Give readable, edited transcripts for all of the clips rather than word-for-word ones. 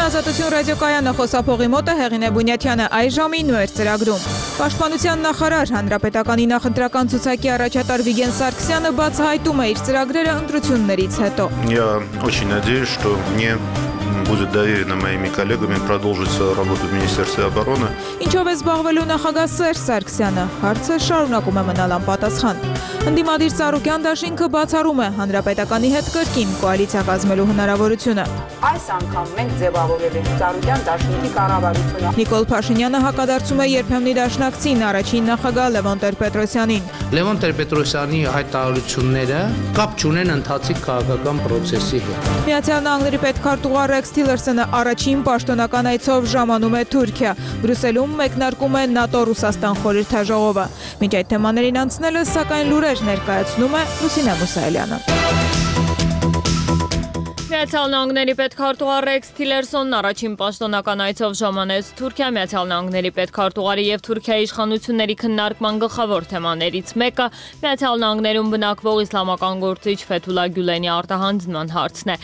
Ազատություն ռադիոկայանը խոսափողի մոտ է Հեղինե Բունյաթյանը այ ժամին նույն ծրագրում։ Պաշտպանության նախարար Հանրապետականի նախընտրական ցուցակի առաջատար Վիգեն Սարգսյանը բացահայտում է իր ծրագրերը ընտրություններից հետո։ Я очень надеюсь, что мне будет доверено моими коллегами продолжить свою работу в Министерстве обороны. Ինչով է զբաղվելու նախագահ Սերժ Սարգսյանը, հարցը շարունակում է մնալ անպատասխան։ Ընդդիմադիր Ծառուկյան դաշինքը բացառում է Հանրապետականի հետ կրկին կոալիցիա կազմելու հնարավորությունը։ Այս անգամ մենք ձևավորել ենք Ծառուկյան դաշինքի կառավարությունը։ Նիկոլ Փաշինյանը հակադարձում է երբեմնի դաշնակցին առաջին նախագահ Լևոն Տեր-Պետրոսյանին։ Լևոն Տեր-Պետրոսյանի հայտարարությունները կապ չունեն ընթացիկ քաղաքական process-ի հետ։ Միացյալ Նահանգների պետքարտուղար Ռեքս Թիլերսոնը առաջին պաշտոնական այցով ժամանում է Թուրքիա։ Բրյուսելում մեկնարկում է ՆԱՏՕ-Ռուսաստան խորհրդաժողովը։ Մինչ այդ թեմաներին անցնելը, սակայն լուրեր ներկայացնում է Լուսինե Մուսայելյանը։ Միացյալ Նահանգների պետքարտուղար Ռեքս Թիլերսոնն առաջին պաշտոնական այցով ժամանեց Թուրքիա։ Միացյալ Նահանգների պետքարտուղարի եւ Թուրքիայի իշխանությունների քննարկման գլխավոր թեմաներից մեկը Միացյալ Նահանգներում բնակվող իսլամական գործիչ Ֆեթուլա Գյուլենի արտահանձնման հարցն է։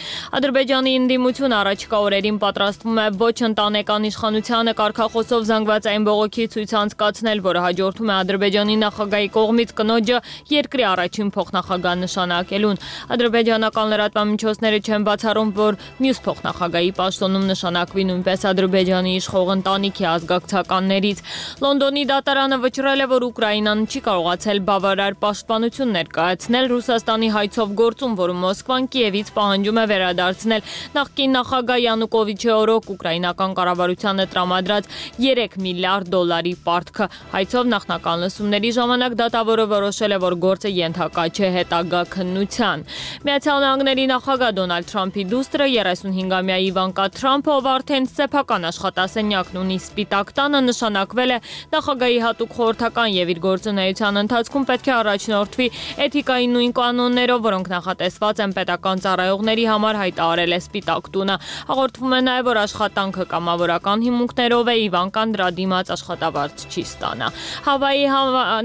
Ադրբեջանի ընդդիմությունը առաջիկա օրերին պատրաստվում է ոչ ընտանեկան իշխանությանը կարգախոսով զանգվածային բողոքի ցույց անցկացնել, որը հաջորդում է Ադրբեջանի նախագահի կողմից կնոջը երկրի առաջին փոխնախագահ նշանակելուն։ Ադրբեջանական լրատվամիջոցները չեն բացառում, որ մյուս փոխնախագահի պաշտոնում նշանակվի նույնպես Ադրբեջանի իշխող ընտանիքի ազգակցականներից։ Լոնդոնի դատարանը վճռել է, որ Ուկրաինան չի կարողացել բավարար պաշտպանություն ներկայացնել Ռուսաստանի հայցով գործում, որում Մոսկվան Կիևից պահանջում է վերադարձնել նախկին նախագահ Յանուկովիչի օրոք ուկրաինական կառավարությանը տրամադրած 3 միլիարդ դոլարի պարտքը։ Հայցով նախնական լսումների ժամանակ դատավորը որոշել է, որ գործը ենթակա չէ հետագա քննության։ Միացյալ Նահանգների նախագահ Դոնալդ Թրամփի դուստրը 35-ամյա Իվանկա Թրամփը, ով արդեն սեփական աշխատասենյակն ունի Սպիտակ տանը, նշանակվել է նախագահի հատուկ խորհրդական եւ իր գործունեության ընթացքում պետք է առաջնորդվի էթիկայի նույն կանոններով, որոնք նախատեսված են պետական ծառայողների համար, հայտարարել է Սպիտակ տունը։ Հաղորդվում է նաեւ, որ աշխատանքը կամավորական հիմունքներով է, Իվանկան դրա դիմաց աշխատավարձ չի ստանա։ Հավայի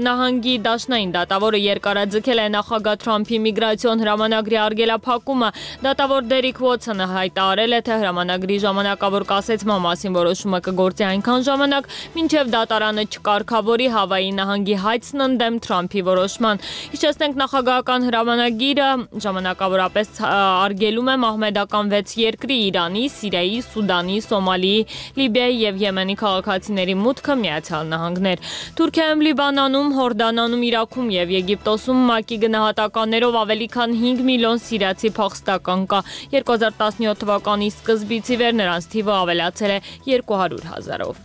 նահանգի դաշնային դատավորը երկարաձգել է նախագահ Թրամփի միգրացիոն հրամանագրի արգելափակումը։ Դատավոր Դերիկ Ուոթսոնը հայտարարել է, թե հրամանագրի ժամանակավոր կասեցման մասին որոշումը կգործի այնքան ժամանակ, մինչև դատարանը չկարգավորի Հավայի նահանգի հայցն ընդդեմ Թրամփի որոշման։ Հիշեցնենք, նախագահական հրամանագիրը ժամանակավորապես արգելում է մահմեդական 6 երկրի՝ Իրանի, Սիրիայի, Սուդանի, Սոմալիի, Լիբիայի եւ Եմենի քաղաքացիների մուտքը Միացյալ Նահանգներ։ Թուրքիայում, Լիբանանում, Հորդանանում, Իրաքում եւ Եգիպտոսում ՄԱԿ-ի գնահատականներով ավելի քան 5 միլիոն սիրիացի փախստական կա։ 2017 թվականի սկզբից ի վեր նրանց թիվը ավելացել է 200,000-ով։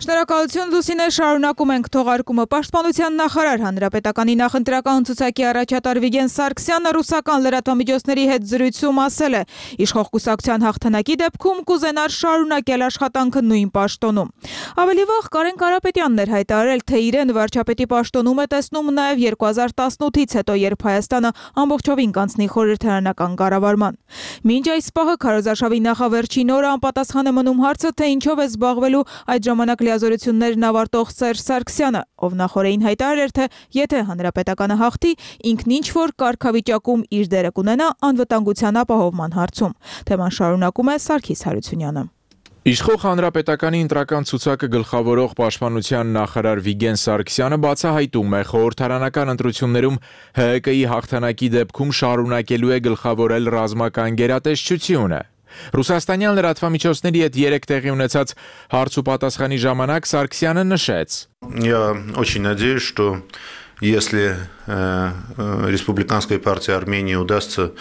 Շնորհակալություն Լուսինե, շարունակում ենք թողարկումը։ Պաշտպանության նախարար Հանրապետականի նախընտրական ցուցակի առաջատար Վիգեն Սարգսյանը ռուսական լրատվամիջոցների հետ զրույցում ասել է. իշխող կուսակցության հաղթանակի դեպքում կուզենար շարունակել աշխատանքը նույն պաշտոնում։ Ավելի վաղ Կարեն Կարապետյանն էր հայտարարել, թե իրեն վարչապետի պաշտոնում է տեսնում նաև 2018-ից հետո, երբ Հայաստանը ամբողջովին կանցնի խորհրդարանական կառավարման։ Մինչ այս պահը քարոզարշավի նախավերջին օրը անպատասխան է մնում հարցը, թե ինչով է զբաղվելու այդ ժամանակ լիազորություններն ավարտող Սերժ Սարգսյանը, ով նախորդին հայտարարել էր, թե եթե Հանրապետականը հաղթի, ինքն ինչ-որ կարգավիճակում իր դերը կունենա անվտանգության ապահովման հարցում։ Թեման շարունակում է Սարգիս Հարությունյանը։ Իշխող Հանրապետականի ընտրական ցուցակը գլխավորող պաշտպանության նախարար Վիգեն Սարգսյանը բացահայտում է խորհրդարանական ընտրություններում ՀՀԿ-ի հաղթանակի դեպքում շարունակելու է գլխավորել ռազմական գերատեսչությունը։ Ռուսաստանյան լրատվամիջոցների հետ 3 տեղի ունեցած հարց ու պատասխանի ժամանակ Սարգսյանը նշեց. Я очень надеюсь, что если Республиканской партии Армении удастся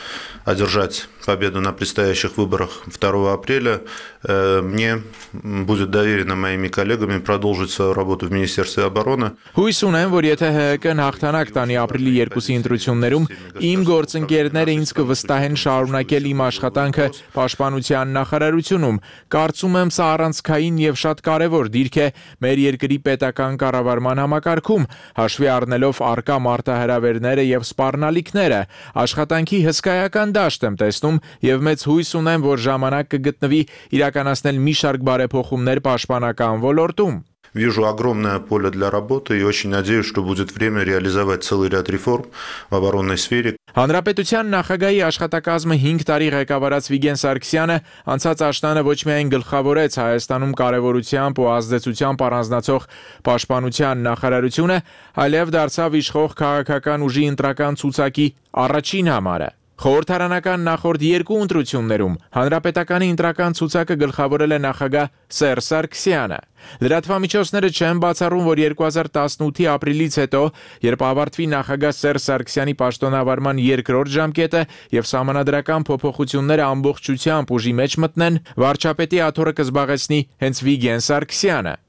одержать победу на предстоящих выборах 2 апреля, мне будет доверено моими коллегами продолжить свою работу в Министерстве обороны. Հույս ունեմ, որ եթե ՀՀԿ-ն հաղթանակ տանի ապրիլի 2-ի ընտրություններում, իմ գործընկերները ինձ կվստահեն շարունակել իմ աշխատանքը պաշտպանության նախարարությունում։ Կարծում եմ, սա առանցքային եւ շատ կարեւոր դիրք է մեր երկրի պետական կառավարման համակարգում, հաշվի առնելով արկա մարտահրավերները եւ սպառնալիքները։ Աշխատանքի հսկայական դաշտ եմ տեսնում ընտրություններում եւ մեծ հույս ունեմ, որ ժամանակ կգտնվի իրականացնել մի շարք բարեփոխումներ պաշտպանական ոլորտում։ Вижу огромное поле для работы и очень надеюсь, что будет время реализовать целый ряд реформ в оборонной сфере. Հանրապետության նախագահի աշխատակազմը 5 տարի ղեկավարած Վիգեն Սարգսյանը անցած աշնանը ոչ միայն գլխավորեց Հայաստանում կարևորությամբ ու ազդեցությամբ առանձնացող պաշտպանության նախարարությունը, այլև դարձավ իշխող քաղաքական ուժի ընտրական ցուցակի առաջին համարը։ Խորհրդարանական նախորդ երկու ընտրություններում հանրապետականի ընտրական ցուցակը գլխավորել է նախագահ Սերժ Սարգսյանը։ Լրատվամիջոցները չեն բացառում, որ 2018-ի ապրիլից հետո, երբ ավարտվի նախագահ Սերժ Սարգսյանի պաշտոնավարման երկրորդ ժամկետը եւ սահմանադրական փոփոխությունները ամբողջությամբ ուժի մեջ մտնեն, վարչապետի աթոռը կզբաղեցնի հենց Վիգեն Սարգսյանը։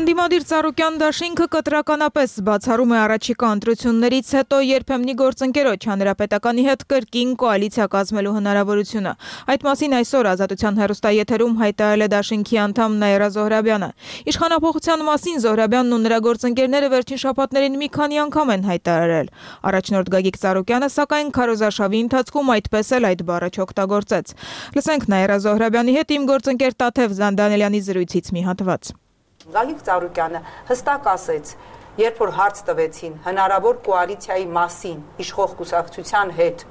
Ընդդիմադիր Ծառուկյան դաշինքը կտրականապես բացառում է առաջիկա ընտրություններից հետո երբեմնի գործընկերոջ հանրապետականի հետ կրկին կոալիցիա կազմելու հնարավորությունը։ Այդ մասին այսօր Ազատության հեռուստաեթերում հայտարարել է դաշինքի անդամ Նաիրա Զոհրաբյանը։ Իշխանափոխության մասին Զոհրաբյանն ու նրա գործընկերները վերջին շաբաթներին մի քանի անգամ են հայտարարել։ Առաջնորդ Գագիկ Ծառուկյանը սակայն քարոզարշավի ընթացքում այդպես էլ այդ բառը չօգտագործեց։ Լսենք Նաիրա Զոհրաբյանի հետ իմ գործընկեր Տաթև Զանդանելյանի զրույցից մի հատված։ Գագիկ Ծառուկյանը հստակ ասեց, երբ որ հարց տվեցին հնարավոր կոալիցիայի մասին իշխող կուսակցության հետ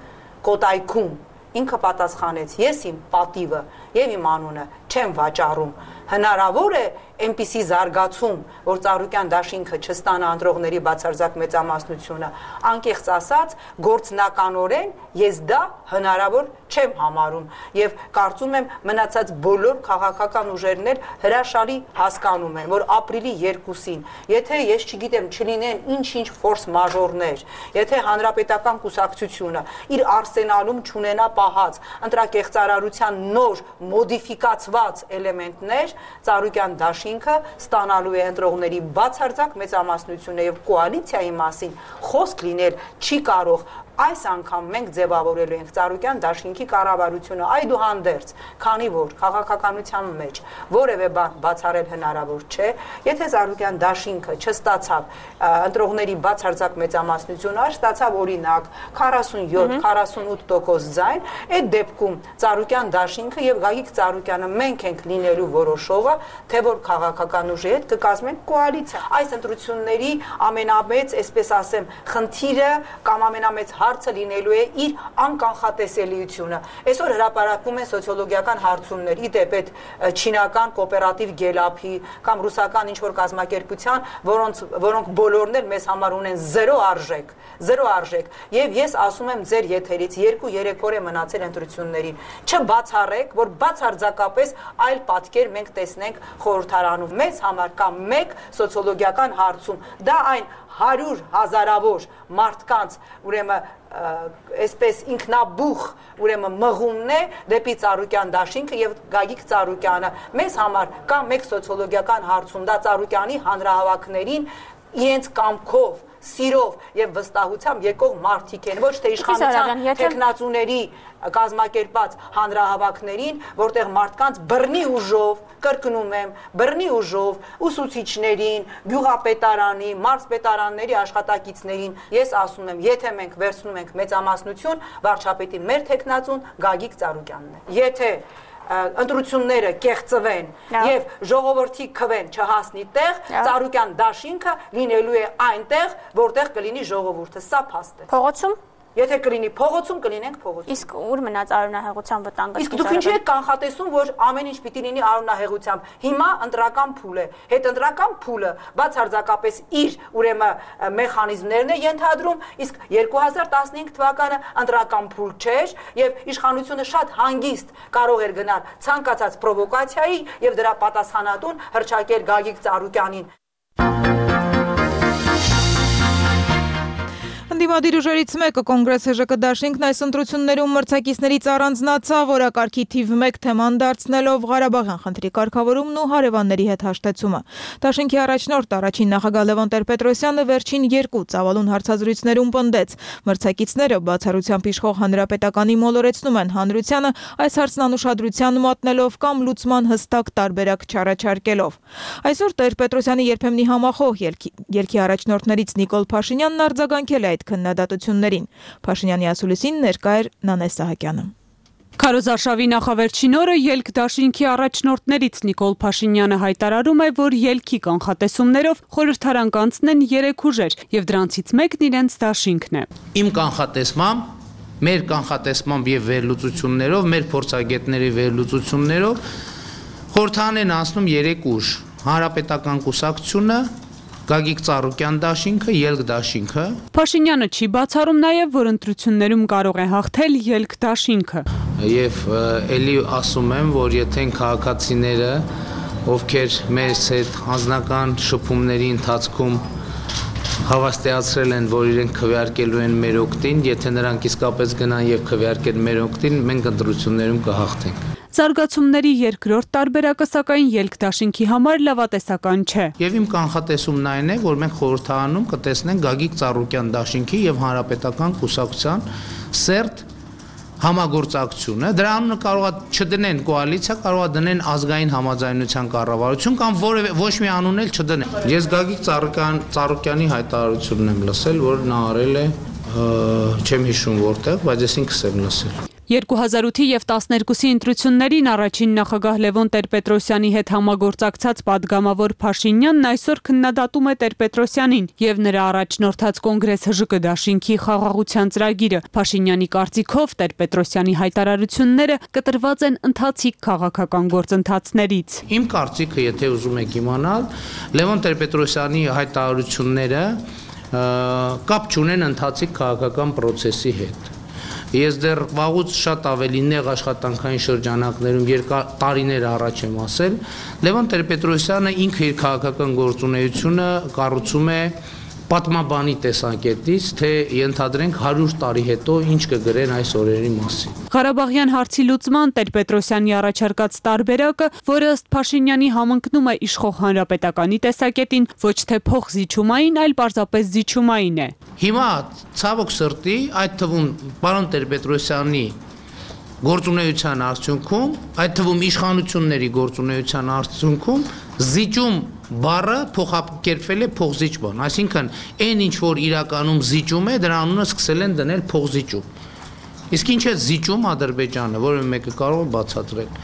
Կոտայքում, ինքը պատասխանեց. ես իմ պատիվը եւ իմ անունը չեմ վաճառում։ Հնարավոր է այնպիսի զարգացում, որ Ծառուկյան դաշինքը չստանա ընտրողների բացարձակ մեծամասնությունը, անկեղծ ասած, գործնականորեն ես դա հնարավոր չեմ համարում եւ կարծում եմ մնացած բոլոր քաղաքական ուժերն էլ հրաշալի հասկանում են, որ ապրիլի 2-ին, եթե ես չգիտեմ, չլինեն ինչ-ինչ ֆորս մաժորներ, եթե հանրապետական կուսակցությունը իր արսենալում չունենա պահած ընտրակեղծարարության նոր մոդիֆիկացված էլեմենտներ, Ծառուկյան դաշինքը ստանալու է ընտրողների բացարձակ մեծամասնությունը եւ կոալիցիայի մասին խոսք լինել չի կարող։ Այս անգամ մենք ձևավորելու ենք Ծառուկյան դաշինքի կառավարությունը այդուհանդերձ, քանի որ քաղաքականության մեջ որևէ բան բացառել հնարավոր չէ, եթե Ծառուկյան դաշինքը չստացավ ընտրողների բացարձակ մեծամասնությունը, ստացավ օրինակ 47-48% ձայն, այդ դեպքում Ծառուկյան դաշինքը եւ Գագիկ Ծառուկյանը մենք ենք լինելու որոշողը, թե որ քաղաքական ուժի հետ կկազմեն կոալիցիա։ Այս ընտրությունների ամենամեծ, այսպես ասեմ, խնդիրը կամ ամենամեծ հարցը լինելու է իր անկանխատեսելիությունը։ Այսօր հրապարակվում են սոցիոլոգիական հարցումներ, ի դեպ այդ չինական կոոպերատիվ գելափի կամ ռուսական ինչ-որ կազմակերպության, որոնք բոլորն էլ մեզ համար ունեն զերո արժեք։ Եվ ես ասում եմ ձեր եթերից 2-3 օր է մնացել ընտրություններին։ Չբացառեք, որ բացարձակապես այլ պատկեր մենք տեսնենք խորհրդարանում։ Մեզ համար կա մեկ սոցիոլոգիական հարցում, դա այն 100 հազարավոր մարդկանց, ուրեմն այսպես ինքնաբուխ, ուրեմն մղումն է դեպի Ծառուկյան դաշինքը եւ Գագիկ Ծառուկյանը։ Մեզ համար կա մեկ սոցիոլոգիական հարցում, դա Ծառուկյանի հանրահավաքներին իրենց կամքով, սիրով եւ վստահությամբ եկող մարդիկ են, ոչ թե իշխանության տեխնացուների կազմակերպած հանրահավաքներին, որտեղ մարդկանց բռնի ուժով, կրկնում եմ, բռնի ուժով ուսուցիչներին, գյուղապետարանի, մարզպետարանների աշխատակիցներին, ես ասում եմ, եթե մենք վերցնում ենք մեծամասնություն, վարչապետի մեր տեխնացուն Գագիկ Ծառուկյանն է։ Եթե ընտրությունները կեղծվեն եւ ժողովրդի քվեն չհասնի տեղ, Ծառուկյան դաշինքը լինելու է այնտեղ, որտեղ կլինի ժողովուրդը, սա փաստ է։ Փողոցում Եթե կլինի փողոցում, կլինենք փողոցում։ Իսկ ուր մնաց արունահեղության վտանգը։ Իսկ դուք ինչի եք կանխատեսում, որ ամեն ինչ պիտի լինի արունահեղությամբ։ Հիմա ընտրական փուլ է։ Հետընտրական փուլը բացարձակապես իր ուրեմն մեխանիզմներն է ենթադրում, իսկ 2015 թվականը ընտրական փուլ չէր եւ իշխանությունը շատ հանգիստ կարող էր գնալ ցանկացած պրովոկացիայի եւ դրա պատասխանատուն հռչակել Գագիկ Ծառուկյանին։ Ընդդիմադիր ուժերից մեկը Կոնգրես ՀԺԿ դաշինքն այս ընտրություններում մրցակիցներից առանձնացավ, օրակարգի թիվ 1 թեման դարձնելով Ղարաբաղյան խնդրի կարգավորումն ու հարևանների հետ հաշտեցումը։ Դաշինքի առաջնորդ առաջին նախագահ Լևոն Տեր-Պետրոսյանը վերջին 2 ծավալուն հարցազրույցներում պնդեց, մրցակիցները բացառությամբ իշխող հանրապետականի մոլորեցնում են հանրությանը, այս հարցն անուշադրության մատնելով կամ լուծման հստակ տարբերակ չառաջարկելով։ Այսօր Տեր-Պետրոսյանի երբեմնի համախոհ ելքի առաջնորդներից Նիկոլ Փաշինյանն արձագանքել է այդ քննադատություններին։ Փաշինյանի ասուլիսին ներկա էր Նանե Սահակյանը։ Քարոզարշավի նախավերջին օրը ելք դաշինքի առաջնորդներից Նիկոլ Փաշինյանը հայտարարում է, որ ելքի կանխատեսումներով խորհրդարան կանցնեն 3 ուժեր եւ դրանցից մեկն իրենց դաշինքն է։ Իմ կանխատեսմամբ, մեր կանխատեսմամբ եւ վերլուծություններով, մեր փորձագետների վերլուծություններով խորհրդարան են անցնում 3 ուժ՝ Հանրապետական կուսակցությունը, Գագիկ Ծառուկյան դաշինքը, ելք դաշինքը։ Փաշինյանը չի բացառում նաև, որ ընտրություններում կարող է հաղթել ելք դաշինքը։ Եվ ելի ասում եմ, որ եթե քաղաքացիները, ովքեր մեր հետ անձնական շփումների ընթացքում հավաստիացրել են, որ իրենք քվեարկելու են մեր օգտին, եթե նրանք իսկապես գնան եւ քվեարկեն մեր օգտին, մենք ընտրություններում կհաղթենք։ Զարգացումների երկրորդ տարբերակը սակայն ելք դաշինքի համար լավատեսական չէ։ Եվ իմ կանխատեսումն այն է, որ մենք խորհրդարանում կտեսնենք Գագիկ Ծառուկյան դաշինքի եւ Հանրապետական կուսակցության սերտ համագործակցությունը։ Դրա անունը կարող է չդնեն կոալիցիա, կարող է դնեն ազգային համաձայնության կառավարություն կամ ոչ մի անուն էլ չդնեն։ Ես Գագիկ Ծառուկյանի հայտարարությունն եմ լսել, որ նա արել է չեմ հիշում որտեղ, բայց ես ինքս եմ լսել։ 2008-ի եւ 12-ի ընտրություններին առաջին նախագահ Լևոն Տեր-Պետրոսյանի հետ համագործակցած падգամավոր Փաշինյանն այսօր քննադատում է Տեր-Պետրոսյանին եւ նրա առաջնորդած կոնգրես ՀԺԿ դաշինքի խաղաղության ծրագիրը։ Փաշինյանի կարծիքով Տեր-Պետրոսյանի հայտարարությունները կտրված են ընթացիկ քաղաքական գործընթացներից։ Իմ կարծիքը, եթե ուզում եք իմանալ, Լևոն Տեր-Պետրոսյանի հայտարարությունները կապ չունեն ընթացիկ քաղաքական process-ի հետ։ Ես դեռ վաղուց շատ ավելի նեղ աշխատանքային շրջանակներում տարիներ առաջ եմ ասել, Լևոն Տեր-Պետրոսյանը ինքը իր քաղաքական գործունեությունը կառուցում է պատմաբանի տեսանկյունից, թե ենթադրենք 100 տարի հետո ինչ կգրեն այս օրերի մասին։ Ղարաբաղյան հարցի լուծման Տեր-Պետրոսյանի առաջարկած տարբերակը, որը ըստ Փաշինյանի համընկնում է իշխող Հանրապետականի տեսակետին, ոչ թե փոխզիջումային, այլ պարզապես զիջումային է։ Հիմա ցավոք սրտի, այդ թվում պարոն Տեր-Պետրոսյանի գործունեության արդյունքում, այդ թվում իշխանությունների գործունեության արդյունքում զիջում բառը փոխակերպվել է փոխզիջման, այսինքն այն ինչ որ իրականում զիջում է, դրա անունը սկսել են դնել փոխզիջում։ Իսկ ինչ է զիջում Ադրբեջանը, որը մեկը կարող է բացատրել։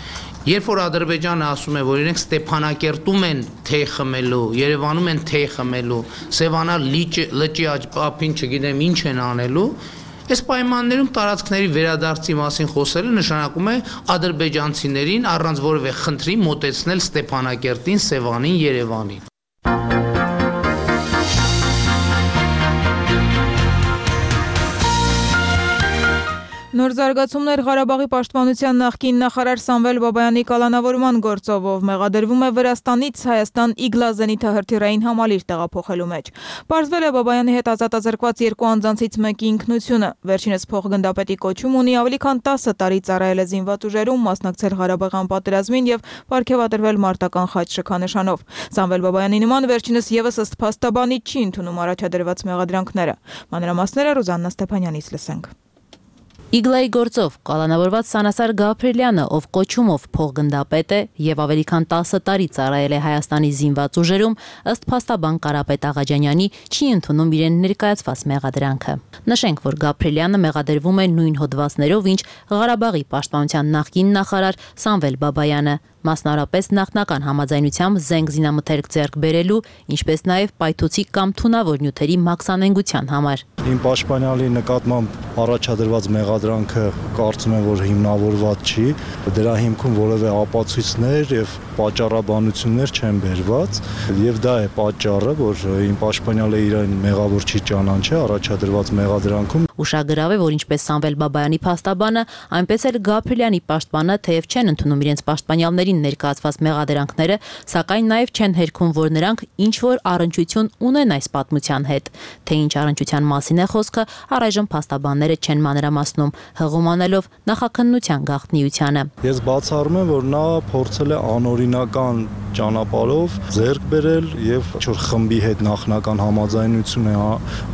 Երբ որ Ադրբեջանը ասում է, որ իրենք Ստեփանակերտում են թեյ խմելու, Երևանում են թեյ խմելու, Սևանա լճի ափին չգիտեմ ինչ են անելու, այս պայմաններում տարածքների վերադարձի մասին խոսելը նշանակում է ադրբեջանցիներին առանց որևէ խնդրի մոտեցնել Ստեփանակերտին, Սևանին, Երևանին։ Նոր զարգացումներ Ղարաբաղի պաշտպանության նախկին նախարար Սամվել Բաբայանի կալանավորման գործով, ով մեղադրվում է Վրաստանից Հայաստան Իգլա զենիթահրթիռային համալիր տեղափոխելու մեջ։ Պարզվել է Բաբայանի հետ ազատազրկված 2 անձանցից մեկի ինքնությունը։ Վերջինս փոխգնդապետի կոչում ունի, ավելի քան 10 տարի ծառայել է զինված ուժերում, մասնակցել Ղարաբաղյան պատերազմին եւ պարգևատրվել մարտական խաչ շքանշանով։ Սամվել Բաբայանի նման վերջինս եւս ըստ փաստաբանի չի ընդունում առաջադրված մեղադրանքները։ Մանրամասները Ռուզաննա Ստեփանյանից լսենք։ Իգլայի գործով կալանավորված Սանասար Գաբրիելյանը, ով կոչումով փոխգնդապետ է եւ ավելի քան 10 տարի ծառայել է Հայաստանի զինված ուժերում, ըստ փաստաբան Կարապետ Աղաջանյանի, չի ընդունում իրեն ներկայացված մեղադրանքը։ Նշենք, որ Գաբրիելյանը մեղադրվում է նույն հոդվածներով, ինչ Ղարաբաղի պաշտպանության նախկին նախարար Սամվել Բաբայանը, մասնավորապես նախնական համաձայնությամբ զենք զինամթերք ձեռք բերելու, ինչպես նաև պայթուցիկ կամ թունավոր նյութերի մաքսանենգության համար։ Իմ պաշտպանյալի նկատմամբ առաջադրված մեղադրանքը կարծում եմ, որ հիմնավորված չի, դրա հիմքում որևէ ապացույցներ եւ պատճառաբանություններ չեն բերված, եւ դա է պատճառը, որ իմ պաշտպանյալը իրեն մեղավոր չի ճանաչել առաջադրված մեղադրանքում։ Ուշագրավ է, որ ինչպես Սամվել Բաբայանի փաստաբանը, այնպես էլ Գաբրիելյանի պաշտպանը թեև չեն ընդունում իրենց պաշտպանյալներին ներկայացված մեղադրանքները, սակայն նաև չեն հերքում, որ նրանք ինչ որ առնչություն ունեն այս պատմության հետ։ Թե ինչ առնչության մասին է խոսքը, առայժմ փաստաբանները չեն մանրամասնում, հղում անելով նախաքննության գաղտնիությանը։ Ես բացառում եմ, որ նա փորձել է անօրինի օրինական ճանապարհով ձեռք բերել եւ ինչ-որ խմբի հետ նախնական համաձայնություն է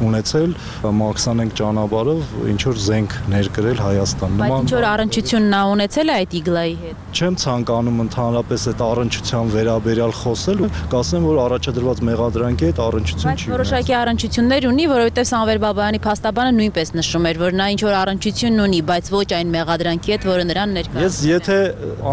ունեցել մաքսանենք ճանապարհով ինչ-որ զենք ներկրել Հայաստան։ Բայց ինչ-որ առնչություն նա ունեցել է այդ իգլայի հետ։ Չեմ ցանկանում ընդհանրապես այդ առնչության վերաբերյալ խոսել, կասեմ, որ առաջադրված մեղադրանքի հետ առնչություն չի։ Բայց որոշակի առնչություններ ունի, որովհետեւ Սամվել Բաբայանի փաստաբանը նույնպես նշում էր, որ նա ինչ-որ առնչություն ունի, բայց ոչ այն մեղադրանքի հետ, որը նրան ներկայացնում է։ Ես եթե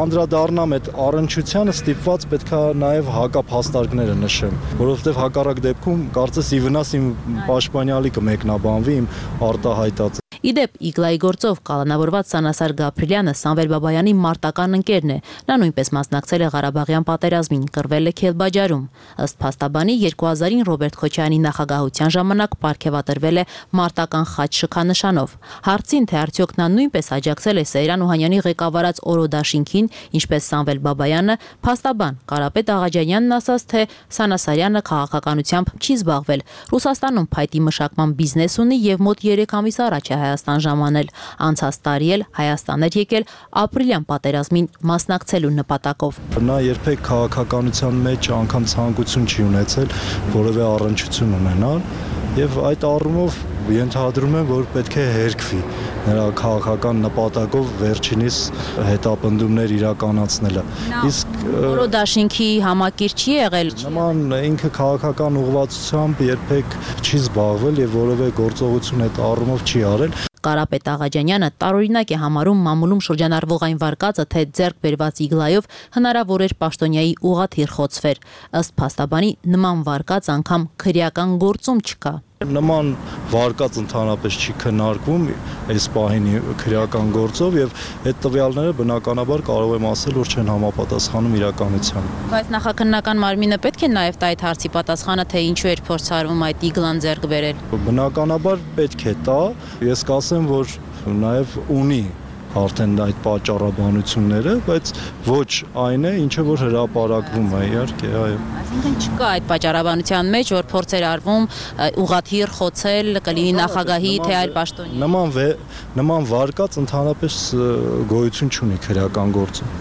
անդրադառնամ այդ առնչությանը, ստիպված պետք է նաև հակափաստարկները նշեմ, որովհետև հակառակ դեպքում կարծես ի վնաս իմ պաշտպանյալի կմեկնաբանվի իմ արտահայտած։ Իդեպ իգլայի գործով կալանավորված Սանասար Գաբրիելյանը Սամվել Բաբայանի մարտական ընկերն է։ Նա նույնպես մասնակցել է Ղարաբաղյան պատերազմին, կռվել է Քելբաջարում։ Ըստ փաստաբանի 2000-ին Ռոբերտ Քոչարյանի նախագահության ժամանակ պարգևատրվել է մարտական խաչ շքանշանով։ Հարցին, թե արդյոք նա նույնպես աջակցել է Սեյրան Օհանյանի ղեկավարած օրոդաշինքին, ինչպես Սամվել Բաբայանը, փաստաբան Կարապետ Աղաջանյանն ասաց, թե Սանասարյանը քաղաքականությամբ չի զբաղվել։ Ռուսաստանում փայտի մշակման բիզնես ունի եւ մոտ 3 ամիս առաջ է Հայաստան ժամանել, անցած տարի էլ Հայաստան էր եկել ապրիլյան պատերազմին մասնակցելու նպատակով։ Նա երբեք քաղաքականության մեջ անգամ ցանկություն չի ունեցել որևէ առնչություն ունենալ եւ այդ առումով ենթադրում եմ, որ պետք է հերքվի նրա քաղաքական նպատակով վերջինիս հետապնդումներ իրականացնելը։ Իսկ օրոդաշինքի համակիր չի եղել։ Նման ինքը քաղաքական ուղղվածությամբ երբեք չի զբաղվել եւ որևէ գործողություն այդ առումով չի արել։ Կարապետ Աղաջանյանը տարօրինակ է համարում մամուլում շրջանառվող այն վարկածը, թե ձեռք բերված իգլայով հնարավոր էր պաշտոնյայի ուղղաթիռ խոցվեր։ Ըստ փաստաբանի նման վարկած անգամ քրեական գործում չկա։ Նման վարկած ընդհանրապես չի քննարկվում այս պահին քրեական գործով եւ այդ տվյալները բնականաբար կարող եմ ասել, որ չեն համապատասխանում իրականությանը։ Բայց նախաքննական մարմինը պետք է նաեւ տա այդ հարցի պատասխանը, թե ինչու էր փորձարվում այդ իգլան ձեռք բերել։ Բնականաբար պետք է տա, ես կասեմ, որ նաեւ ունի արդեն այդ պատճառաբանությունները, բայց ոչ այն է, ինչը որ հրապարակվում է, իհարկե, այո։ Այսինքն չկա այդ պատճառաբանության մեջ, որ փորձեր արվում ուղղաթիռ խոցել, կլինի նախագահի թե այլ պաշտոնյա։ Նման վարկած ընդհանրապես գոյություն չունի քրեական գործում։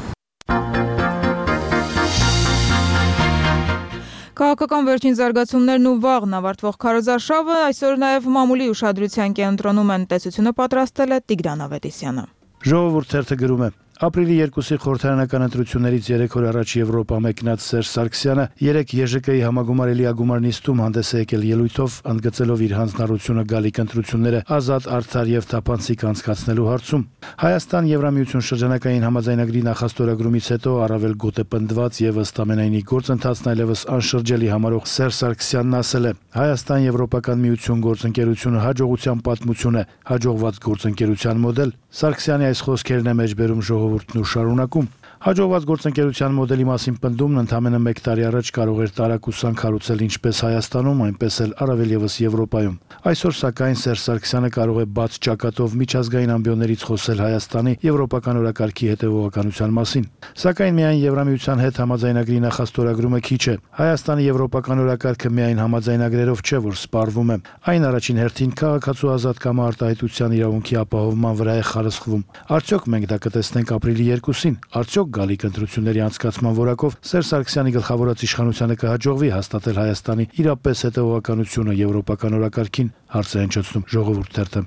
Քաղաքական վերջին զարգացումներն ու վաղն ավարտվող քարոզարշավը այսօր նաև մամուլի ուշադրության կենտրոնում են, տեսությունը պատրաստել է Տիգրան Ավետիսյանը։ Ժողովուրդ թերթը գրում է. Ապրիլի 2-ի խորհրդարանական ընտրություններից 3 օր առաջ Եվրոպա մեկնած Սերժ Սարգսյանը 3 ԵԺԿ-ի համագումարելի ագումար նիստում հանդես է եկել ելույթով, ընդգծելով իր հանձնառությունը գալիք ընտրությունները ազատ, արդար եւ թափանցիկ անցկացնելու հարցում։ Հայաստան Եվրամիություն շրջանակային համաձայնագրի նախաստորագրումից հետո առավել գոտեպնդված եւ ըստ ամենայնի գործընթացն այլևս անշրջելի համարող Սերժ Սարգսյանն ասել է. Հայաստան Եվրոպական միություն գործընկերությունը հաջողության պատմություն է, հաջողված գործընկերության մոդել։ Սարգսյանի այս խոսքերն է մեջբերում ժողովուրդն ու շարունակում։ Հաջողված գործընկերության մոդելի մասին պնդումն ընդամենը 1 տարի առաջ կարող էր տարակուսանք հարուցել ինչպես Հայաստանում, այնպես էլ առավել եւս Եվրոպայում։ Այսօր սակայն Սերժ Սարգսյանը կարող է բաց ճակատով միջազգային ամբիոններից խոսել Հայաստանի եվրոպական օրակարգի հետևողականության մասին։ Սակայն միայն Եվրամիության հետ համաձայնագրի նախաստորագրումը քիչ է։ Հայաստանի եվրոպական օրակարգը միայն համաձայնագրերով չէ, որ սպառվում է։ Այն առաջին հերթին քաղաքացու ազատ կամ արտահայտության իրավունքի ապահովման վրա է խարսխվում։ Արդյոք մենք դա կտեսնենք ապրիլի 2-ին։ Արդյոք գալիք ընտրությունների անցկացման որակով Սերժ Սարգսյանի գլխավորած իշխանությանը կհաջողվի հաստատել Հայաստանի իրապես հետևողականությունը եվրոպական օրակարգին, հարց է հնչեցնում Ժողովուրդ թերթը։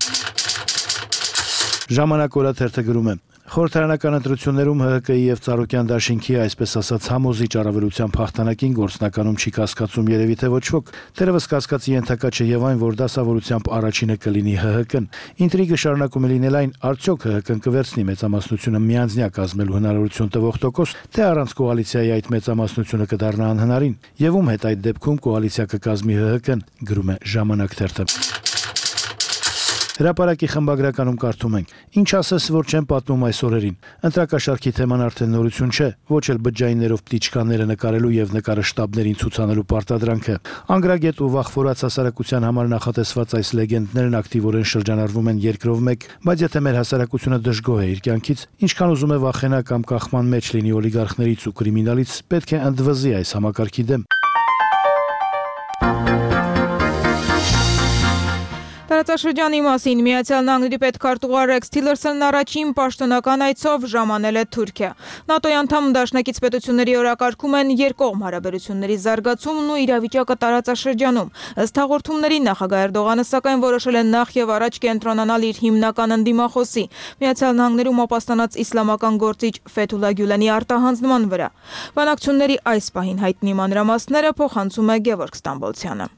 Ժամանակ օրաթերթը գրում է. Խորհրդարանական ընտրություններում ՀՀԿ-ի եւ Ծառուկյան դաշինքի, այսպես ասած, համոզիչ առավելության փախտանակին գործնականում չի կասկածում երևի թե ոչ ոք։ Դեռևս կասկածի ենթակա չէ եւ այն, որ դասավորությամբ առաջինը կլինի ՀՀԿ-ն։ Ինտրիգը շարունակում է լինել այն, արդյոք ՀՀԿ-ն կվերցնի մեծամասնությունը միանձնյա կազմելու հնարավորություն տվող տոկոս, թե առանց կոալիցիայի այդ մեծամասնությունը կդառնա անհնարին, եւ ում հետ այդ դեպքում կոալիցիա կկազմի ՀՀԿ-ն, գրում է Ժամանակ թերթը։ Հրապարակի խմբագրականում կարդում ենք. Ինչ ասես, որ չեմ պատմում այս օրերին։ Ընտրակաշարքի թեման արդեն նորություն չէ, ոչ էլ բջջայիններով պտիչկաները նկարելու եւ նկարը շտաբներին ցուցանելու պարտադրանքը։ Անգրագետ ու վախվորած հասարակության համար նախատեսված այս լեգենդներն ակտիվորեն շրջանառվում են երկրով մեկ, բայց եթե մեր հասարակությունը դժգոհ է իր կյանքից, ինչքան ուզում է վախենա կամ կախման մեջ լինի օլիգարխներից ու կրիմինալից, պետք է ընդվզի այս համակարգի դեմ։ Տարածաշրջանի մասին Միացյալ Նահանգների պետքարտուղար Ռեքս Թիլերսոնն առաջին պաշտոնական այցով ժամանել է Թուրքիա։ ՆԱՏՕ-ի անդամ դաշնակից պետությունների օրակարգում են երկկողմ հարաբերությունների զարգացումն ու իրավիճակը տարածաշրջանում։ Ըստ հաղորդումների նախագահ Էրդողանը սակայն որոշել է նախ եւ առաջ կենտրոնանալ իր հիմնական ընդդիմախոսի Միացյալ Նահանգներում ապաստանած իսլամական գործիչ Ֆեթուլա Գյուլենի արտահանձնման վրա։ Բանակցությունների այս պահին հայտնի մանրամասները փոխանցում է Գևորգ Ստամբոլցյանը։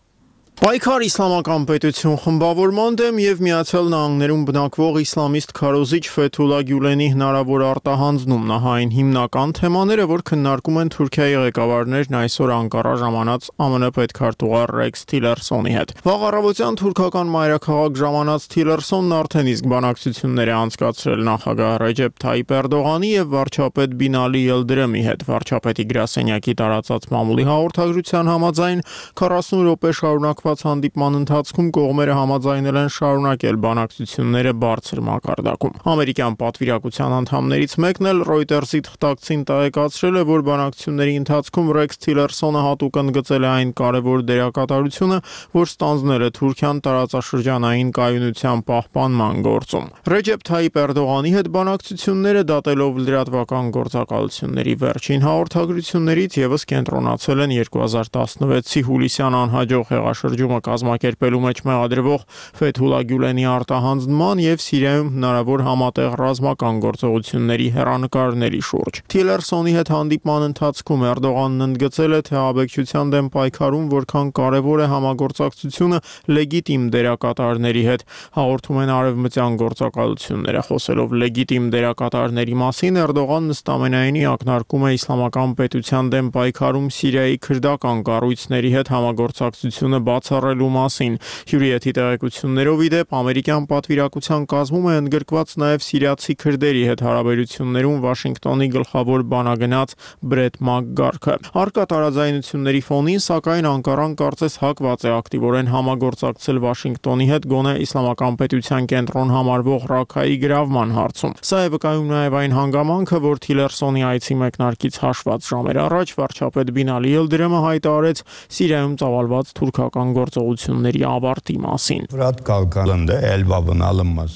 Պայքար իսլամական պետություն խմբավորման դեմ եւ Միացյալ Նահանգներում բնակվող իսլամիստ քարոզիչ Ֆեթուլա Գյուլենի հնարավոր արտահանձնում նահային հիմնական թեմաները, որ քննարկում են Թուրքիայի ղեկավարներն այսօր Անկարա ժամանած ԱՄՆ պետքարտուղար Ռեքս Թիլերսոնի հետ։ Վաղ առավոտյան թուրքական մայրաքաղաք ժամանած Թիլերսոնն արդեն իսկ բանակցություններ է անցկացրել նախագահ Ռեջեփ Թայիպ Էրդողանի եւ վարչապետ Բինալի Ելդրեմի հետ։ Վարչապետի գրասենյակի տարածած մամուլի հաղորդագրության համաձայն 40 րոպե շարունակված հանդիպման ընթացքում կողմերը համաձայնել են շարունակել բանակցությունները բարձր մակարդակում։ Ամերիկյան պատվիրակության անդամներից մեկն էլ Reuters-ի թղթակցին տեղեկացրել է, որ բանակցությունների ընթացքում Ռեքս Թիլերսոնը հատուկ ընդգծել է այն կարևոր դերակատարությունը, որ ստանձնել է Թուրքիան տարածաշրջանային կայունության պահպանման գործում։ Ռեջեփ Թայիպ Էրդողանի հետ բանակցությունները դատելով լրատվական գործակալությունների վերջին հաղորդագրություններից եւս կենտրոնացել են 2016-ի հուլիսյան անհաջող հեղաշրջումը կազմակերպելու մեջ մեղադրվող Ֆեթուլա Գյուլենի արտահանձնման եւ Սիրիայում հնարավոր համատեղ ռազմական գործողությունների հեռանկարների շուրջ։ Թիլերսոնի հետ հանդիպման ընթացքում Էրդողանն ընդգծել է, թե աբեկչության դեմ պայքարում որքան կարևոր է համագործակցությունը լեգիտիմ դերակատարների հետ, հաղորդում են արևմտյան գործակալությունները։ Խոսելով լեգիտիմ դերակատարների մասին, Էրդողանն ըստամենայնի ակնարկում է իսլամական պետության դեմ պայքարում Սիրիայի քրդական կառույցների հետ համագործակցությունը բացառելու մասին։ Հյուրիեթի տեղեկություններով ի դեպ ամերիկյան պատվիրակության կազմում է ընդգրկված նաև սիրիացի քրդերի հետ հարաբերություններում Վաշինգտոնի գլխավոր բանագնաց Բրեթ Մակգարքը։ Առկա տարաձայնությունների ֆոնին, սակայն Անկարան կարծես հակված է ակտիվորեն համագործակցել Վաշինգտոնի հետ գոնե իսլամական պետության կենտրոն համարվող Ռաքայի գրավման հարցում։ Սա է վկայում նաև այն հանգամանքը, որ Թիլերսոնի այցի մեկնարկից հաշված ժամեր առաջ վարչապետ Բինալի Ելդրեմը հայտարարեց Սիրիայում ծավալված թուրքական գործողությունների ավարտի մասին։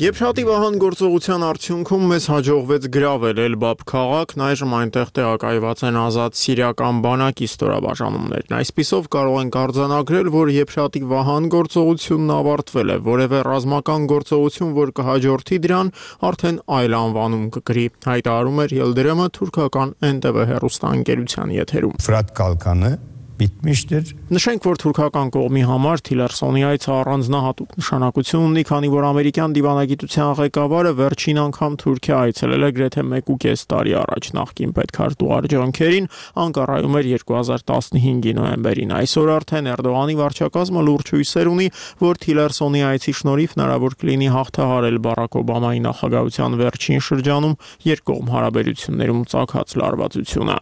Եփշատի վահան գործողության արդյունքում մեզ հաջողվեց գրավել Էլբաբ քաղաքն, այժմ այնտեղ տեղակայված են ազատ սիրիական բանակի ստորաբաժանումներն։ Այսպիսով կարող ենք արձանագրել, որ Եփշատի վահան գործողությունն ավարտվել է, որևէ ռազմական գործողություն, որ կհաջորդի դրան, արդեն այլ անվանում կկրի, հայտարարում էր Ելդրեմը թուրքական NTV հեռուստաընկերության եթերում։ Ֆրատ Կալկանը bitmiştir. Նշենք, որ թուրքական կողմի համար Թիլերսոնի այցը առանձնահատուկ նշանակություն ունի, քանի որ ամերիկյան դիվանագիտության ղեկավարը վերջին անգամ Թուրքիա այցելել է գրեթե 1.5 տարի առաջ նախկին պետքարտուղար Ջոն Քերին Անկարայում էր 2015-ի նոյեմբերին։ Այսօր արդեն Էրդողանի վարչակազմը լուրջ հույսեր ունի, որ Թիլերսոնի այցի շնորհիվ հնարավոր կլինի հաղթահարել Բարաք Օբամայի նախագահության վերջին շրջանում երկկողմ հարաբերություններում ծագած լարվածությունը։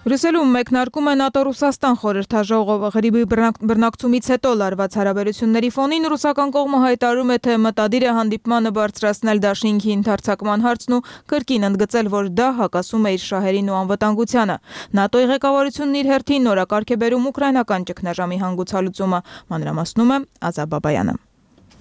Բրյուսելում մեկնարկում է ՆԱՏՕ-Ռուսաստան խորհրդաժողովը ղրիբի բռնակցումից հետո լարված հարաբերությունների ֆոնին ռուսական կողմը հայտարարում է, թե մտադիր է հանդիպմանը բարձրացնել դաշինքի ընդարձակման հարցն ու կրկին ընդգծել, որ դա հակասում է իր շահերին ու անվտանգությանը։ ՆԱՏՕ-ի ղեկավարությունն իր հերթին նորակարգ է բերում ուկրաինական ճգնաժամի հանգուցալուծումը, մանրամասնում է Ազատ Բաբայանը։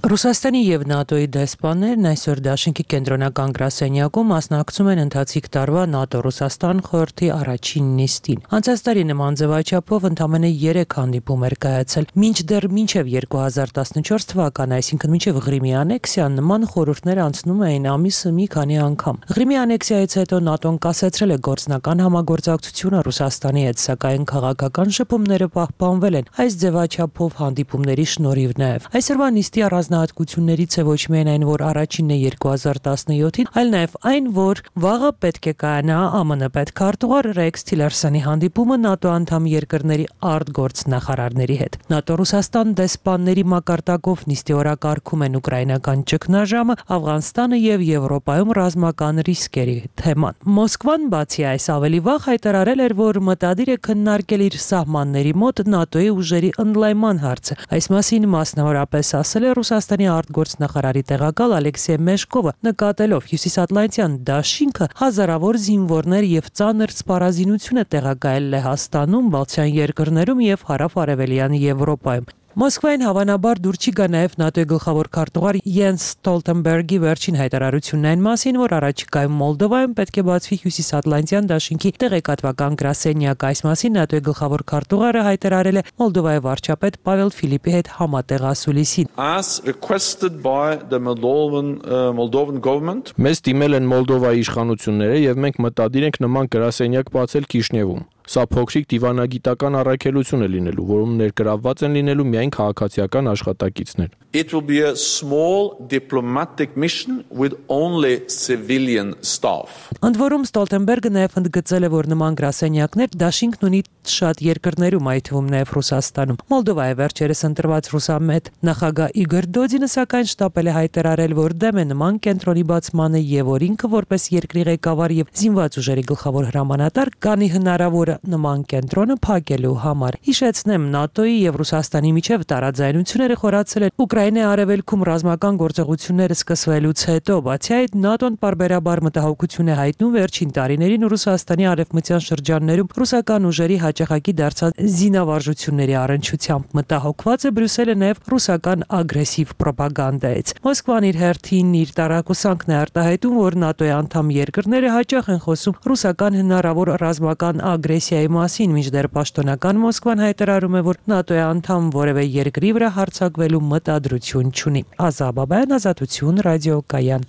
Ռուսաստանի եւ ՆԱՏՕ-ի դեսպաններն այսօր դաշինքի կենտրոնական գրասենյակում մասնակցում են ընթացիկ տարվա ՆԱՏՕ-Ռուսաստան խորհրդի առաջին նիստին։ Անցած տարի նման ձևաչափով ընդամենը 3 հանդիպում էր կայացել։ Մինչդեռ մինչև 2014 թվականը, այսինքն մինչև Ղրիմի անեքսիան, նման խորհուրդներ անցնում էին ամիսը մի քանի անգամ։ Ղրիմի անեքսիայից հետո ՆԱՏՕ-ն կասեցրել է գործնական համագործակցությունը Ռուսաստանի հետ, սակայն քաղաքական շփումները պահպանվել են այս ձևաչափով հանդիպումների շնորհիվ նաև։ Այսօրվա նիստի առանձնահատկություններից է ոչ միայն այն, որ առաջինն է 2017-ին, այլ նաև այն, որ վաղը պետք է կայանա ԱՄՆ պետքարտուղար Ռեքս Թիլերսոնի հանդիպումը ՆԱՏՕ անդամ երկրների արտգործնախարարների հետ։ ՆԱՏՕ-Ռուսաստան դեսպանների մակարդակով նիստի օրակարգում են ուկրաինական ճգնաժամը, Աֆղանստանը եւ Եվրոպայում ռազմական ռիսկերի թեման։ Մոսկվան բացի այս ավելի վաղ հայտարարել էր, որ մտադիր է քննարկել իր սահմանների մոտ ՆԱՏՕ-ի ուժերի ընդլայնման հարցը։ Այս մասին մասնավորապես ասել է Ռուսաստանի արտգործնախարարի տեղակալ Ալեքսեյ Մեշկովը, նկատելով հյուսիսատլանտյան դաշինքը հազարավոր զինվորներ եւ ծանր սպառազինություն է տեղակայել Լեհաստանում, Բալթյան երկրներում եւ հարավ-արևելյան Եվրոպայում։ Մոսկվային հավանաբար դուր չի գա նաև ՆԱՏՕ-ի գլխավոր քարտուղար Յենս Ստոլտենբերգի վերջին հայտարարությունն այն մասին, որ առաջիկայում Մոլդովայում պետք է բացվի Հյուսիսատլանտյան դաշինքի տեղեկատվական գրասենյակ։ Այս մասին ՆԱՏՕ-ի գլխավոր քարտուղարը հայտարարել է Մոլդովայի վարչապետ Պավել Ֆիլիպի հետ համատեղ ասուլիսին։ As requested by the Moldovan government, Մեզ դիմել են Մոլդովայի իշխանությունները եւ մենք մտադիր ենք նման գրասենյակ բացել Քիշնևում։ Սա փոքրիկ դիվանագիտական առաքելություն է լինելու, որում ներգրավված են լինելու միայն քաղաքացիական աշխատակիցներ։ It will be a small diplomatic mission with only civilian staff. Ընդ որում Ստոլտենբերգը նաև ընդգծել է, որ նման գրասենյակներ դաշինքն ունի շատ երկրներում, այդ թվում նաև Ռուսաստանում։ Մոլդովայի վերջերս ընտրված ռուսամետ նախագահ Իգոր Դոդինը սակայն շտապել է հայտարարել, որ դեմ է նման կենտրոնի բացմանը եւ որ ինքը որպես երկրի ղեկավար եւ զինված ուժերի գլխավոր հրամանատար կանի հնարավոր նման կենտրոնը փակելու համար։ Հիշեցնեմ, ՆԱՏՕ-ի եւ Ռուսաստանի միջև տարաձայնությունները խորացել են Ուկրաինայի արևելքում ռազմական գործողությունները սկսվելուց հետո, բացի այդ ՆԱՏՕ-ն պարբերաբար մտահոգություն է հայտնում վերջին տարիներին Ռուսաստանի արևմտյան շրջաններում ռուսական ուժերի հաճախակի դարձած զինավարժությունների առնչությամբ։ Մտահոգված է Բրյուսելը նաև ռուսական ագրեսիվ ռոպագանդայից։ Մոսկվան իր հերթին իր տարակուսանքն է արտահայտում, որ ՆԱՏՕ-ի անդամ երկրները հաճախ են խոսում ռուսական հնարավոր ռազմական ագրեսիայի մասին, մինչդեռ պաշտոնական Մոսկվան հայտարարում է, որ ՆԱՏՕ-ի անդամ որևէ երկրի վրա հարձակվելու մտադրություն չունի։ Ազաբաբայան, Ազատություն, ռադիոկայան։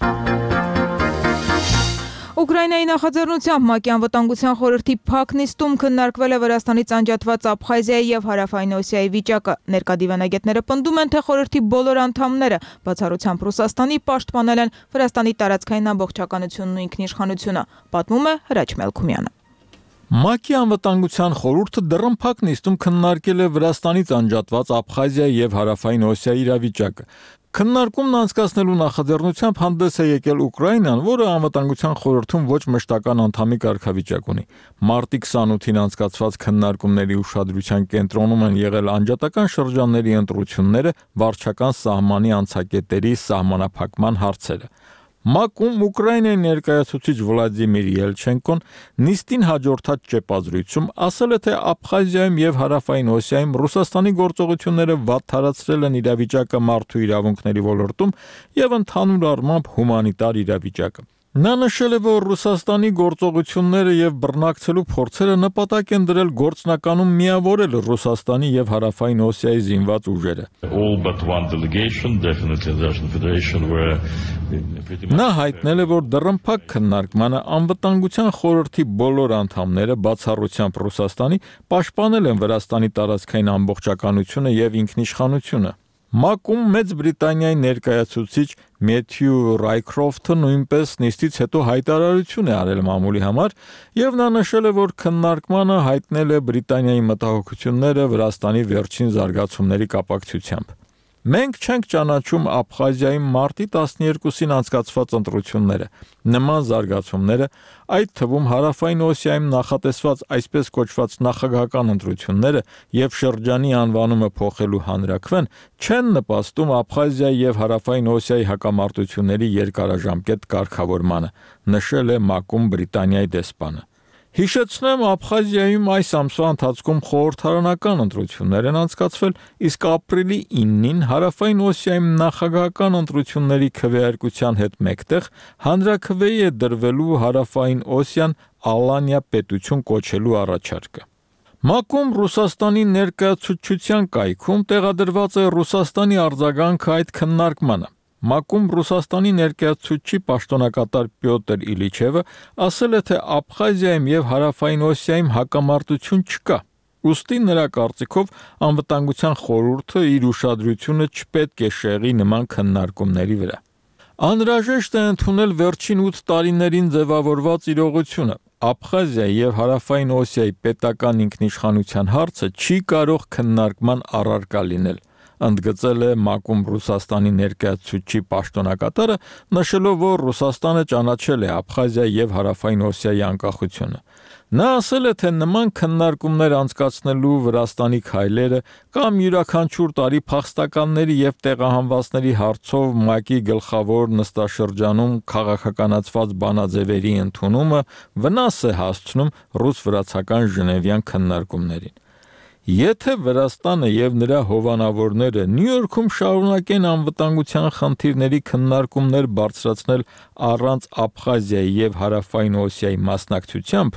Ուկրաինայի նախաձեռնությամբ ՄԱԿ-ի անվտանգության խորհրդի փակ նիստում քննարկվել է Վրաստանից անջատված Աբխազիայի եւ Հարավային Օսիայի վիճակը։ Ներկա դիվանագետները պնդում են, թե խորհրդի բոլոր անդամները, բացառությամբ Ռուսաստանի, պաշտպանել են Վրաստանի տարածքային ամբողջականությունն ու ինքնիշխանությունը, պատմում է Հրաչ Մելքումյանը։ ՄԱԿ-ի անվտանգության խորհուրդը դռնփակ նիստում քննարկել է Վրաստանից անջատված Աբխազիայի եւ Հարավային Օսիայի իրավիճակը։ Քննարկումն անցկացնելու նախաձեռնությամբ հանդես է եկել Ուկրաինան, որը անվտանգության խորհրդում ոչ մշտական անդամի կարգավիճակ ունի։ Մարտի 28-ին անցկացված քննարկումների ուշադրության կենտրոնում են եղել անջատական շրջանների ընտրությունները, վարչական սահմանի անցակետերի սահմանափակման հարցերը։ ՄԱԿ-ում Ուկրաինայի ներկայացուցիչ Վլադիմիր Ելչենկոն նիստին հաջորդած ճեպազրույցում ասել է, թե Աբխազիայում եւ Հարավային Օսիայում Ռուսաստանի գործողությունները վատթարացրել են իրավիճակը մարդու իրավունքների ոլորտում եւ ընդհանուր առմամբ հումանիտար իրավիճակը։ Նա նշել է, որ Ռուսաստանի գործողությունները եւ բռնակցելու փորձերը նպատակ են դրել գործնականում միավորել Ռուսաստանի եւ Հարավային Օսիայի զինված ուժերը։ Նա հայտնել է, որ դռնփակ քննարկմանը անվտանգության խորհրդի բոլոր անդամները, բացառությամբ Ռուսաստանի, պաշտպանել են Վրաստանի տարածքային ամբողջականությունը եւ ինքնիշխանությունը։ ՄԱԿ-ում Մեծ Բրիտանիայի ներկայացուցիչ Մեթյու Ռայքրոֆթը նույնպես նիստից հետո հայտարարություն է արել մամուլի համար եւ նա նշել է, որ քննարկմանը հայտնել է Բրիտանիայի մտահոգությունները Վրաստանի վերջին զարգացումների կապակցությամբ։ Մենք չենք ճանաչում Աբխազիայի մարտի 12-ին անցկացված ընտրությունները։ Նման զարգացումները, այդ թվում Հարավային Օսիայում նախատեսված այսպես կոչված նախագահական ընտրությունները եւ շրջանի անվանումը փոխելու հանրաքվեն, չեն նպաստում Աբխազիայի եւ Հարավային Օսիայի հակամարտությունների երկարաժամկետ կարգավորմանը, նշել է ՄԱԿ-ում Բրիտանիայի դեսպանը։ Հիշեցնեմ, Աբխազիայում այս ամսվա ընթացքում խորհրդարանական ընտրություններ են անցկացվել, իսկ ապրիլի 9-ին Հարավային Օսիայում նախագահական ընտրությունների քվեարկության հետ մեկտեղ հանրաքվեի է դրվելու Հարավային Օսիան Ալանիա պետություն կոչելու առաջարկը։ ՄԱԿ-ում Ռուսաստանի ներկայացուցչության կայքում տեղադրված է Ռուսաստանի արձագանքը այդ քննարկմանը։ ՄԱԿ-ում Ռուսաստանի ներկայացուցչի պաշտոնակատար Պյոտր Իլիչևը ասել է, թե Աբխազիայում եւ Հարավային Օսիայում հակամարտություն չկա։ Ուստի նրա կարծիքով անվտանգության խորհուրդը իր ուշադրությունը չպետք է շեղի նման քննարկումների վրա։ Անհրաժեշտ է ընդունել վերջին 8 տարիներին ձևավորված իրողությունը։ Աբխազիայի եւ Հարավային Օսիայի պետական ինքնիշխանության հարցը չի կարող քննարկման առարկա լինել, ընդգծել է ՄԱԿ-ում Ռուսաստանի ներկայացուցչի պաշտոնակատարը, նշելով, որ Ռուսաստանը ճանաչել է Աբխազիայի եւ Հարավային Օսիայի անկախությունը։ Նա ասել է, թե նման քննարկումներ անցկացնելու Վրաստանի քայլերը կամ յուրաքանչյուր տարի փախստականների եւ տեղահանվածների հարցով ՄԱԿ-ի գլխավոր նստաշրջանում քաղաքականացված բանաձևերի ընդունումը վնաս է հասցնում ռուս-վրացական Ժնևյան քննարկումներին։ Եթե Վրաստանը եւ նրա հովանավորները Նյու Յորքում շարունակեն անվտանգության խնդիրների քննարկումներ բարձրացնել առանց Աբխազիայի եւ Հարավային Օսիայի մասնակցությամբ,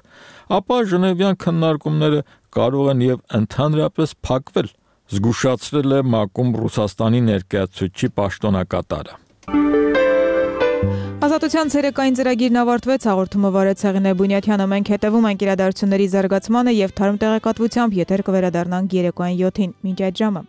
ապա Ժնևյան քննարկումները կարող են եւ ընդհանրապես փակվել, զգուշացրել է ՄԱԿ-ում Ռուսաստանի ներկայացուցիչի պաշտոնակատարը։ Ազատության ցերեկային ծրագիրն ավարտվեց, հաղորդումը վարեց Հեղինե Բունյաթյանը, մենք հետևում ենք իրադարձությունների զարգացմանը եւ թարմ տեղեկատվությամբ եթեր կվերադառնանք երեկոյան 7-ին։ Մինչ այդ ժամը